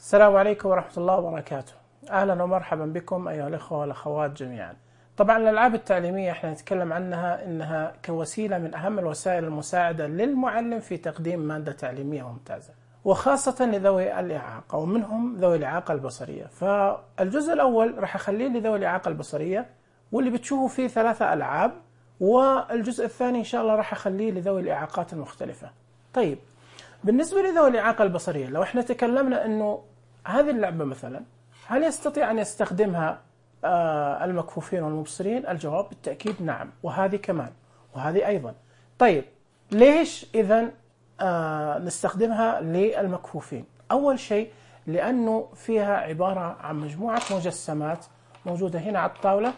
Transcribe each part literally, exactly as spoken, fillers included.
السلام عليكم ورحمة الله وبركاته. أهلا ومرحبا بكم أيها الأخوة والأخوات جميعا. طبعا الألعاب التعليمية احنا نتكلم عنها إنها كوسيلة من أهم الوسائل المساعدة للمعلم في تقديم مادة تعليمية ممتازة، وخاصة لذوي الإعاقة ومنهم ذوي الإعاقة البصرية. فالجزء الأول راح أخليه لذوي الإعاقة البصرية واللي بتشوفوا فيه ثلاثة ألعاب، والجزء الثاني إن شاء الله راح أخليه لذوي الإعاقات المختلفة. طيب، بالنسبة لذوي الإعاقة البصرية، لو احنا تكلمنا أنه هذه اللعبة مثلا هل يستطيع أن يستخدمها آه المكفوفين والمبصرين؟ الجواب بالتأكيد نعم، وهذه كمان وهذه أيضا. طيب ليش إذن آه نستخدمها للمكفوفين؟ أول شيء لأنه فيها عبارة عن مجموعة مجسمات موجودة هنا على الطاولة،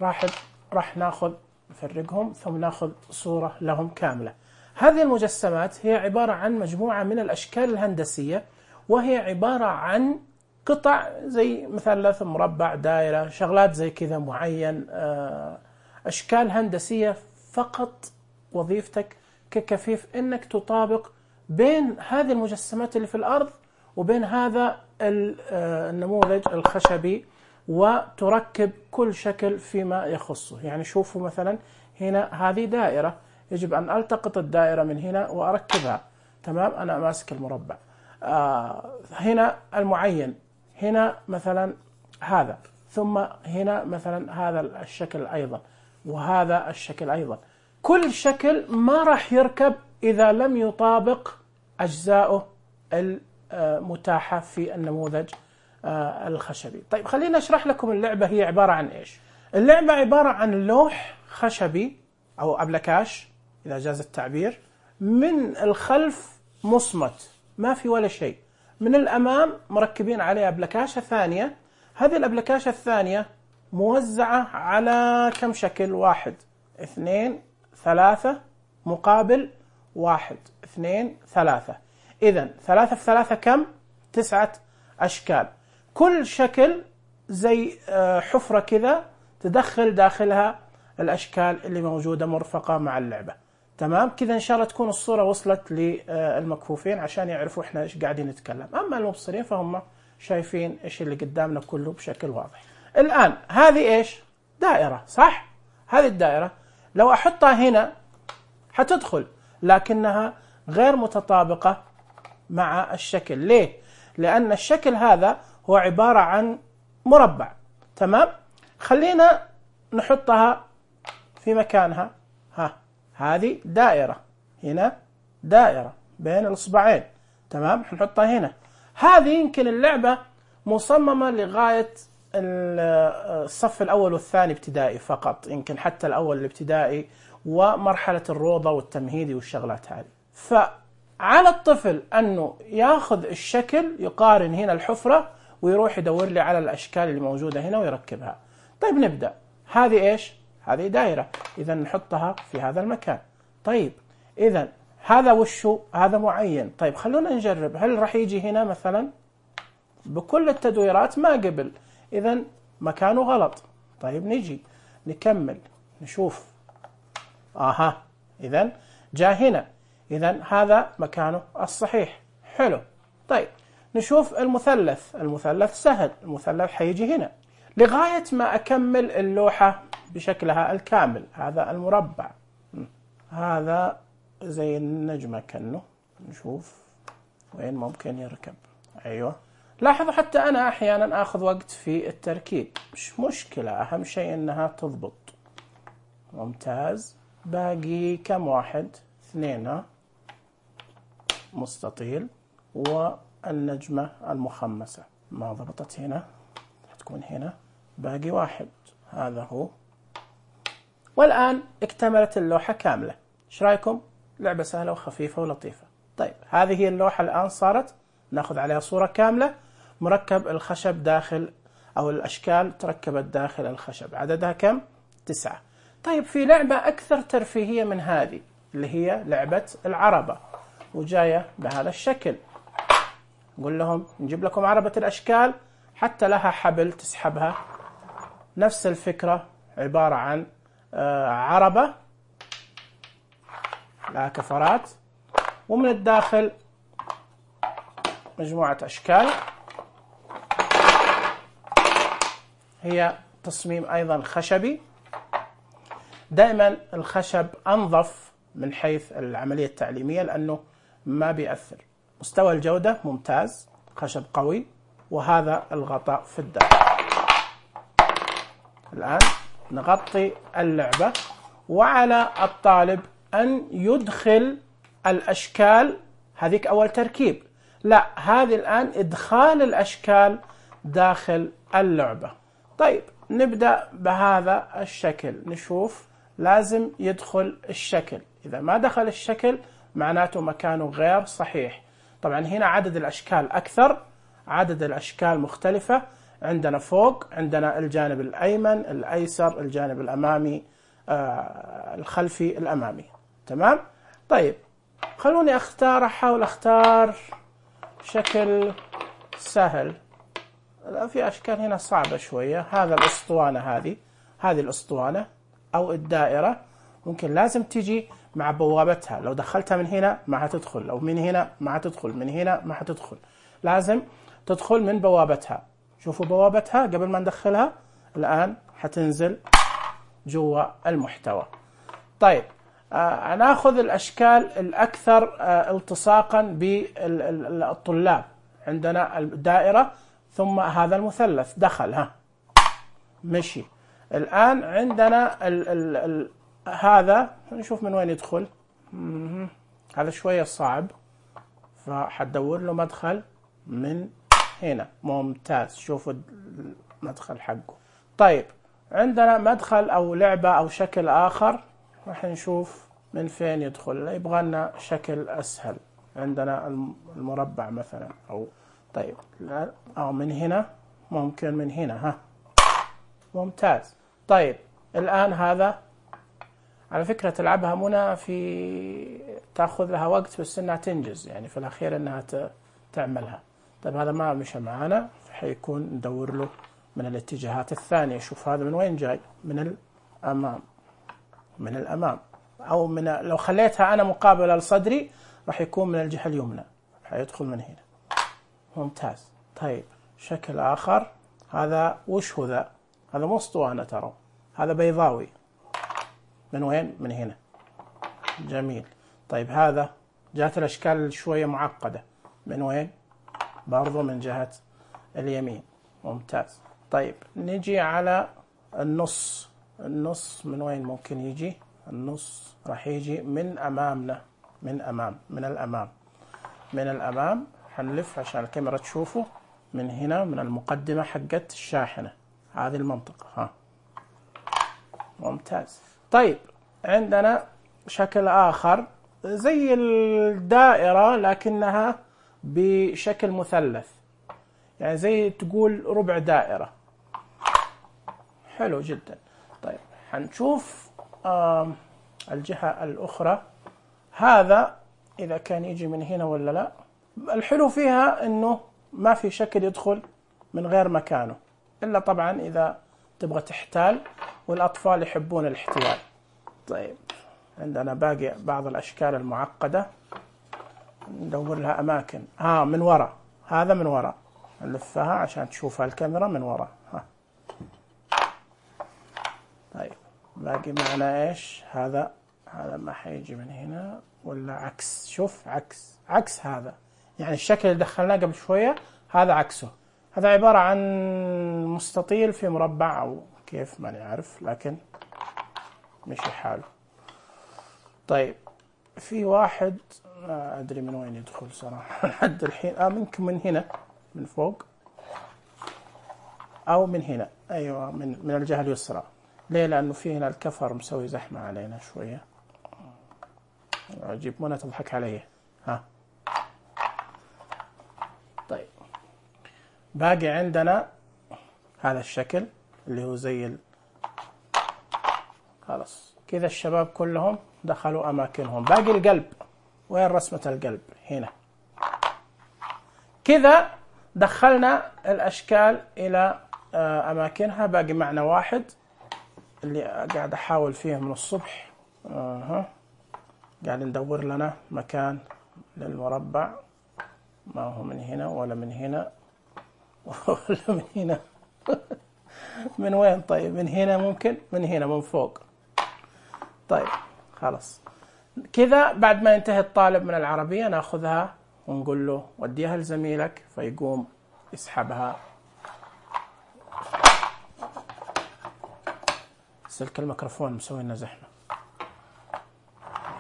راح راح ناخذ نفرقهم ثم ناخذ صورة لهم كاملة. هذه المجسمات هي عبارة عن مجموعة من الأشكال الهندسية، وهي عبارة عن قطع زي مثلث، مربع، دائرة، شغلات زي كذا معين، أشكال هندسية. فقط وظيفتك ككفيف إنك تطابق بين هذه المجسمات اللي في الأرض وبين هذا النموذج الخشبي، وتركب كل شكل فيما يخصه. يعني شوفوا مثلا هنا هذه دائرة، يجب أن ألتقط الدائرة من هنا وأركبها. تمام، أنا ماسك المربع. آه هنا المعين، هنا مثلا هذا، ثم هنا مثلا هذا الشكل أيضا، وهذا الشكل أيضا. كل شكل ما راح يركب إذا لم يطابق أجزاؤه المتاحة في النموذج آه الخشبي. طيب خلينا أشرح لكم اللعبة هي عبارة عن إيش. اللعبة عبارة عن لوح خشبي أو أبلكاش إذا جاز التعبير، من الخلف مصمت ما في ولا شيء، من الأمام مركبين عليه أبلكاشة ثانية. هذه الأبلكاشة الثانية موزعة على كم شكل؟ واحد، اثنين، ثلاثة، مقابل واحد، اثنين، ثلاثة. إذن ثلاثة في ثلاثة كم؟ تسعة أشكال. كل شكل زي حفرة كذا تدخل داخلها الأشكال اللي موجودة مرفقة مع اللعبة. تمام كذا، إن شاء الله تكون الصورة وصلت للمكفوفين عشان يعرفوا إحنا إيش قاعدين نتكلم. أما المبصرين فهم شايفين إيش اللي قدامنا كله بشكل واضح. الآن هذه إيش؟ دائرة، صح؟ هذه الدائرة لو أحطها هنا حتدخل، لكنها غير متطابقة مع الشكل. ليه؟ لأن الشكل هذا هو عبارة عن مربع. تمام؟ خلينا نحطها في مكانها. ها، هذه دائرة، هنا دائرة بين الإصبعين. تمام، حنحطها هنا. هذه يمكن اللعبة مصممة لغاية الصف الأول والثاني ابتدائي فقط، يمكن حتى الأول الابتدائي ومرحلة الروضة والتمهيدي والشغلات هذه. فعلى الطفل أنه ياخذ الشكل، يقارن هنا الحفرة ويروح يدور لي على الأشكال اللي موجودة هنا ويركبها. طيب نبدأ. هذه إيش؟ هذه دائرة، إذا نحطها في هذا المكان. طيب إذا هذا وشو؟ هذا معين. طيب خلونا نجرب، هل راح يجي هنا مثلا؟ بكل التدويرات ما قبل، إذا مكانه غلط. طيب نجي نكمل نشوف. آها، إذا جاء هنا، إذا هذا مكانه الصحيح. حلو. طيب نشوف المثلث. المثلث سهل، المثلث حيجي هنا لغاية ما أكمل اللوحة بشكلها الكامل. هذا المربع، هذا زي النجمة كأنه. نشوف وين ممكن يركب. أيوة، لاحظوا حتى أنا أحيانا أخذ وقت في التركيب، مش مشكلة، أهم شيء أنها تضبط. ممتاز. باقي كم واحد؟ اثنين، مستطيل، والنجمة المخمسة ما ضبطت هنا، تكون هنا. باقي واحد، هذا هو. والآن اكتملت اللوحة كاملة. ايش رايكم؟ لعبة سهلة وخفيفة ولطيفة. طيب هذه هي اللوحة الآن صارت، ناخذ عليها صورة كاملة، مركب الخشب داخل، أو الأشكال تركبت داخل الخشب. عددها كم؟ تسعة. طيب في لعبة أكثر ترفيهية من هذه اللي هي لعبة العربة، وجاية بهذا الشكل. نقول لهم نجيب لكم عربة الأشكال، حتى لها حبل تسحبها. نفس الفكرة، عبارة عن عربة لها كفرات، ومن الداخل مجموعة أشكال هي تصميم أيضا خشبي. دائما الخشب أنظف من حيث العملية التعليمية لأنه ما بيأثر. مستوى الجودة ممتاز، خشب قوي، وهذا الغطاء في الداخل. الآن نغطي اللعبة، وعلى الطالب أن يدخل الأشكال. هذيك أول تركيب، لا هذه الآن إدخال الأشكال داخل اللعبة. طيب نبدأ بهذا الشكل، نشوف لازم يدخل الشكل. إذا ما دخل الشكل معناته مكانه غير صحيح. طبعا هنا عدد الأشكال أكثر، عدد الأشكال مختلفة. عندنا فوق، عندنا الجانب الأيمن، الأيسر، الجانب الأمامي، آه الخلفي، الأمامي. تمام؟ طيب خلوني أختار، أحاول أختار شكل سهل. في أشكال هنا صعبة شوية. هذا الأسطوانة، هذه هذه الأسطوانة أو الدائرة ممكن لازم تيجي مع بوابتها. لو دخلتها من هنا ما هتدخل، لو من هنا ما هتدخل، من هنا ما هتدخل. لازم تدخل من بوابتها. شوفوا بوابتها قبل ما ندخلها. الآن حتنزل جوا المحتوى. طيب آه ناخذ الأشكال الأكثر آه التصاقا بالطلاب. عندنا الدائرة، ثم هذا المثلث دخل، ها مشي. الآن عندنا ال ال ال هذا، نشوف من وين يدخل. هذا شوية صعب، فحدور له مدخل من هنا. ممتاز، شوفوا المدخل حقه. طيب عندنا مدخل أو لعبة أو شكل آخر، راح نشوف من فين يدخل. يبغى لنا شكل أسهل. عندنا المربع مثلا، أو طيب لا، أو من هنا، ممكن من هنا. ها ممتاز. طيب الآن هذا على فكرة تلعبها منى، في تأخذ لها وقت بس إنها تنجز، يعني في الأخير إنها تعملها. طيب هذا ما مشى معانا، فحيكون ندور له من الاتجاهات الثانية. شوف هذا من وين جاي، من الأمام، من الأمام، أو من لو خليتها أنا مقابلة لصدري راح يكون من الجهة اليمنى، حيدخل من هنا. ممتاز. طيب شكل آخر، هذا وش هو ذا؟ هذا مو اسطوانة ترى، هذا بيضاوي. من وين؟ من هنا. جميل. طيب هذا جات الأشكال شوية معقدة. من وين؟ برضو من جهة اليمين. ممتاز. طيب نجي على النص. النص من وين ممكن يجي؟ النص راح يجي من أمامنا، من أمام، من الأمام، من الأمام. حنلف عشان الكاميرا تشوفه. من هنا، من المقدمة حقت الشاحنة، هذه المنطقة. ها ممتاز. طيب عندنا شكل آخر زي الدائرة لكنها بشكل مثلث، يعني زي تقول ربع دائرة. حلو جدا. طيب حنشوف آه الجهة الأخرى. هذا إذا كان يجي من هنا ولا لا. الحلو فيها إنه ما في شكل يدخل من غير مكانه، إلا طبعا إذا تبغى تحتال، والأطفال يحبون الاحتيال. طيب عندنا باقي بعض الأشكال المعقدة، ندور لها أماكن. ها من وراء، هذا من وراء، نلفها عشان تشوفها الكاميرا من وراء. ها طيب باقي معنا إيش؟ هذا هذا ما حيجي من هنا ولا عكس. شوف عكس، عكس هذا، يعني الشكل اللي دخلناه قبل شوية هذا عكسه. هذا عبارة عن مستطيل في مربع أو كيف ما نعرف، لكن مشي حاله. طيب في واحد ما أدري من وين يدخل صراحة لحد الحين. آه ممكن من هنا، من فوق، أو من هنا. أيوة من من الجهة اليسرى. ليه؟ لأنه في هنا الكفر مسوي زحمة علينا شوية. أجيب منى تضحك علي. ها طيب باقي عندنا هذا الشكل اللي هو زي ال... خلاص كذا الشباب كلهم دخلوا أماكنهم. باقي القلب. وين رسمة القلب؟ هنا. كذا دخلنا الأشكال إلى أماكنها. باقي معنا واحد اللي قاعد أحاول فيه من الصبح. أه. قاعد ندور لنا مكان للمربع. ما هو من هنا ولا من هنا ولا من هنا من وين طيب؟ من هنا ممكن؟ من هنا من فوق. طيب خلاص كذا. بعد ما ينتهي الطالب من العربية ناخذها ونقول له وديها لزميلك، فيقوم يسحبها. سلك الميكروفون مسوي لنا زحمة.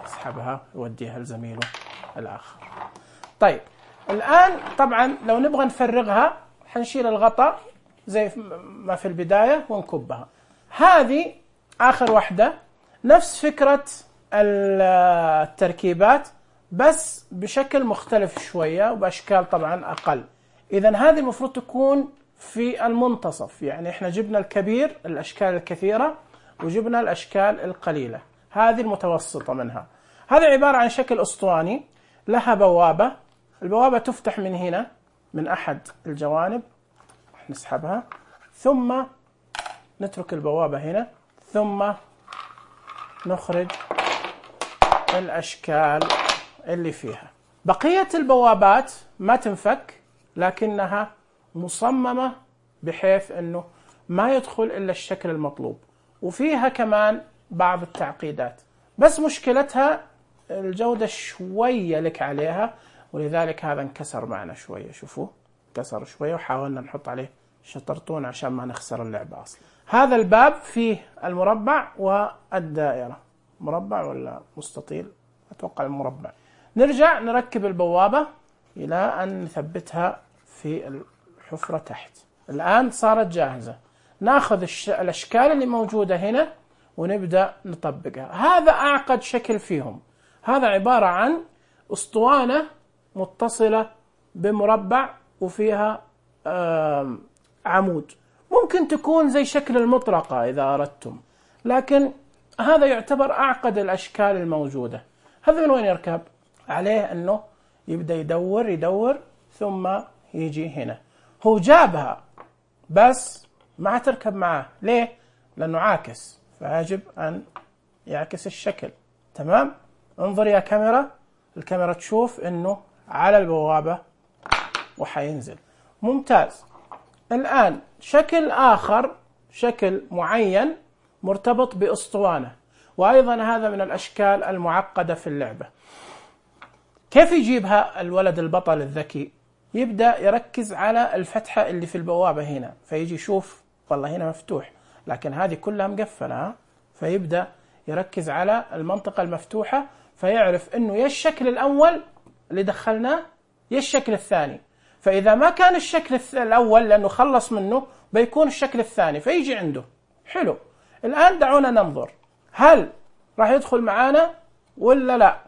يسحبها يوديها لزميله الآخر. طيب الآن طبعا لو نبغى نفرغها حنشيل الغطاء زي ما في البداية ونكبها. هذه آخر واحدة، نفس فكرة التركيبات بس بشكل مختلف شوية وبأشكال طبعا أقل. إذن هذه المفروض تكون في المنتصف، يعني إحنا جبنا الكبير الأشكال الكثيرة وجبنا الأشكال القليلة، هذه المتوسطة منها. هذه عبارة عن شكل أسطواني، لها بوابة. البوابة تفتح من هنا من أحد الجوانب، نسحبها ثم نترك البوابة هنا، ثم نخرج الأشكال اللي فيها. بقية البوابات ما تنفك، لكنها مصممة بحيث أنه ما يدخل إلا الشكل المطلوب، وفيها كمان بعض التعقيدات، بس مشكلتها الجودة شوية لك عليها، ولذلك هذا انكسر معنا شوية. شوفوا انكسر شوية، وحاولنا نحط عليه شطرطون عشان ما نخسر اللعبة أصلا. هذا الباب فيه المربع والدائرة. مربع ولا مستطيل؟ أتوقع المربع. نرجع نركب البوابة إلى أن نثبتها في الحفرة تحت. الآن صارت جاهزة. ناخذ الأشكال اللي موجودة هنا ونبدأ نطبقها. هذا أعقد شكل فيهم. هذا عبارة عن أسطوانة متصلة بمربع وفيها عمود. ممكن تكون زي شكل المطرقة إذا أردتم، لكن هذا يعتبر أعقد الأشكال الموجودة. هذا من وين يركب؟ عليه أنه يبدأ يدور يدور ثم يجي هنا. هو جابها بس ما تركب معاه. ليه؟ لأنه عاكس، فيجب أن يعكس الشكل. تمام؟ انظر يا كاميرا، الكاميرا تشوف أنه على البوابة وحينزل. ممتاز. الآن شكل آخر، شكل معين مرتبط بأسطوانة، وأيضا هذا من الأشكال المعقدة في اللعبة. كيف يجيبها الولد البطل الذكي؟ يبدأ يركز على الفتحة اللي في البوابة هنا، فيجي يشوف والله هنا مفتوح لكن هذه كلها مقفلة، فيبدأ يركز على المنطقة المفتوحة، فيعرف انه يا الشكل الأول اللي دخلناه يا الشكل الثاني. فإذا ما كان الشكل الأول لأنه خلص منه بيكون الشكل الثاني، فيجي عنده. حلو. الآن دعونا ننظر هل راح يدخل معانا ولا لا.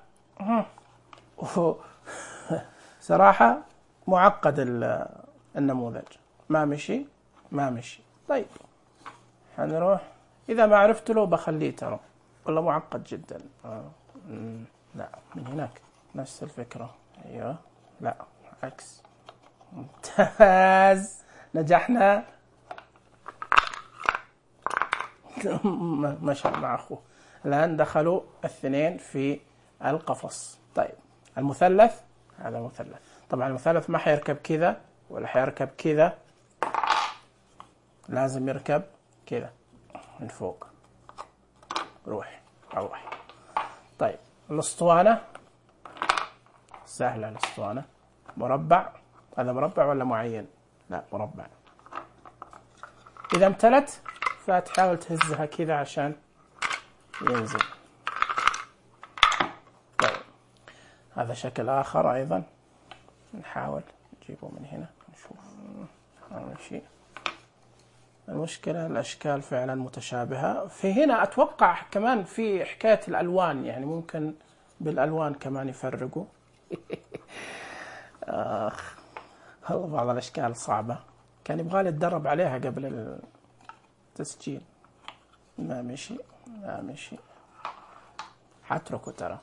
صراحة معقد النموذج، ما مشي ما مشي. طيب حنروح، إذا ما عرفت له بخليه، ترى والله معقد جدا. آه. لا من هناك نفس الفكرة. أيوة لا عكس. ممتاز، نجحنا. مشى مع أخوه. الآن دخلوا الاثنين في القفص. طيب المثلث، هذا مثلث. طبعا المثلث ما حيركب كذا ولا حيركب كذا، لازم يركب كذا من فوق. روح روح. طيب الاسطوانة سهلة. الاسطوانة مربع، هذا مربع ولا معين؟ لا مربع. إذا امتلت فتحاول تهزها كذا عشان ينزل. طيب هذا شكل آخر أيضا، نحاول نجيبه من هنا نشوف. أول شيء المشكلة الأشكال فعلا متشابهة. في هنا أتوقع كمان في حكاية الألوان، يعني ممكن بالألوان كمان يفرقوا. آخ والله بعض الأشكال صعبة، كان يبغالي أتدرب عليها قبل التسجيل. ما مشي ما مشي، حتركه ترى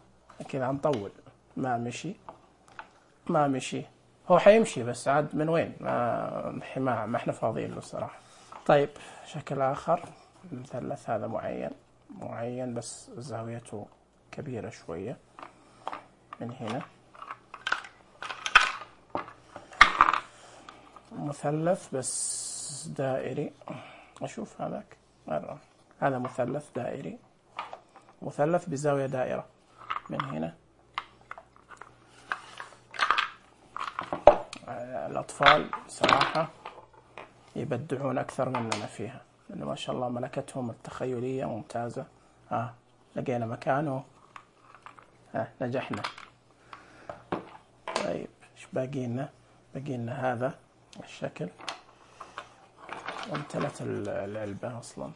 كذا نطول. ما مشي ما مشي. هو حيمشي بس عاد من وين؟ ما ما, ما احنا فاضيين له صراحة. طيب شكل آخر، المثلث هذا معين معين بس زاويته كبيرة شوية. من هنا مثلث بس دائري. أشوف هذاك مرة. هذا مثلث دائري، مثلث بزاوية دائرة من هنا. الأطفال صراحة يبدعون أكثر مننا فيها، لأنه ما شاء الله ملكتهم التخيلية ممتازة. آه لقينا مكانه، آه نجحنا. طيب إيش باقي لنا؟ باقي لنا هذا الشكل، وامتلت العلبة أصلا.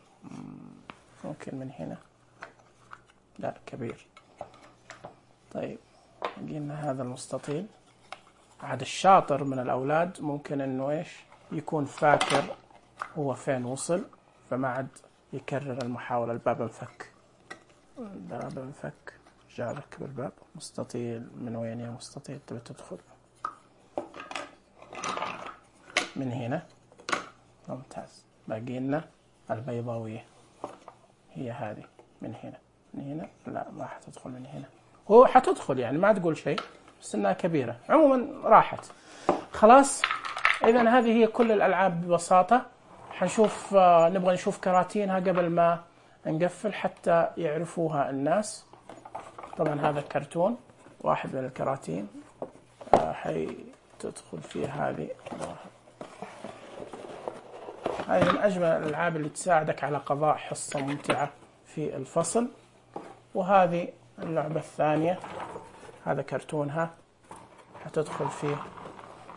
ممكن من هنا، لا كبير. طيب باقي لنا هذا المستطيل. عاد الشاطر من الأولاد ممكن إنه إيش يكون فاكر هو فين وصل، فما عاد يكرر المحاولة. الباب انفك، الباب انفك، جابك بالباب. مستطيل من وين يا مستطيل؟ تبي تدخل من هنا، ممتاز. باقي لنا البيضاوية، هي هذه من هنا. من هنا لا ما حتدخل من هنا، هو حتدخل يعني ما تقول شيء، بس انها كبيرة. عموما راحت خلاص. اذا هذه هي كل الالعاب ببساطة. حنشوف آه نبغى نشوف كراتينها قبل ما نقفل حتى يعرفوها الناس. طبعا هذا كرتون واحد من الكراتين، آه حي تدخل فيه هذه. هذه من أجمل الألعاب اللي تساعدك على قضاء حصة ممتعة في الفصل. وهذه اللعبة الثانية، هذا كرتونها، حتدخل فيه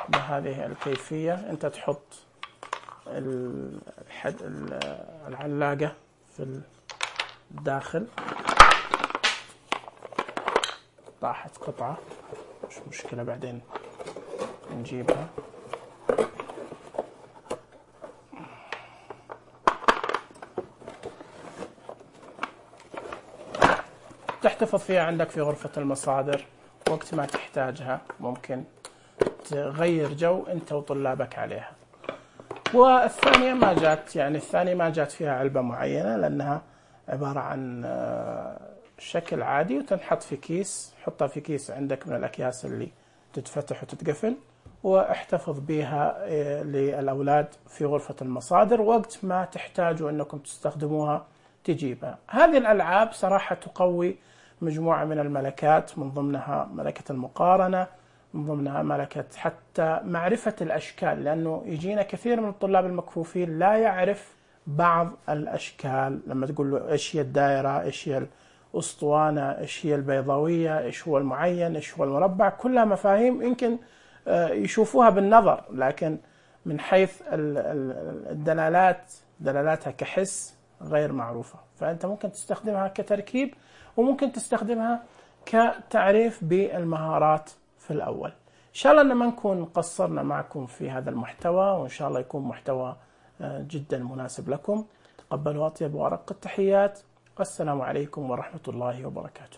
بهذه الكيفية. أنت تحط الحد العلاقة في الداخل. طاحت قطعة، مش مشكلة بعدين نجيبها. تحتفظ فيها عندك في غرفة المصادر، وقت ما تحتاجها ممكن تغير جو أنت وطلابك عليها. والثانية ما جات، يعني الثانية ما جات فيها علبة معينة، لأنها عبارة عن شكل عادي وتنحط في كيس. حطها في كيس عندك من الأكياس اللي تتفتح وتتقفل، واحتفظ بها للأولاد في غرفة المصادر. وقت ما تحتاجوا أنكم تستخدموها تجيبها. هذه الألعاب صراحة تقوي مجموعة من الملكات، من ضمنها ملكة المقارنة، من ضمنها ملكة حتى معرفة الأشكال، لأنه يجينا كثير من الطلاب المكفوفين لا يعرف بعض الأشكال. لما تقول له إيش هي الدائرة، إيش هي الأسطوانة، إيش هي البيضاوية، إيش هو المعين، إيش هو المربع، كلها مفاهيم يمكن يشوفوها بالنظر، لكن من حيث الدلالات دلالاتها كحس غير معروفة. فأنت ممكن تستخدمها كتركيب، وممكن تستخدمها كتعريف بالمهارات في الأول. إن شاء الله أن ما نكون قصرنا معكم في هذا المحتوى، وإن شاء الله يكون محتوى جدا مناسب لكم. تقبلوا أطيب وأرق التحيات. والسلام عليكم ورحمة الله وبركاته.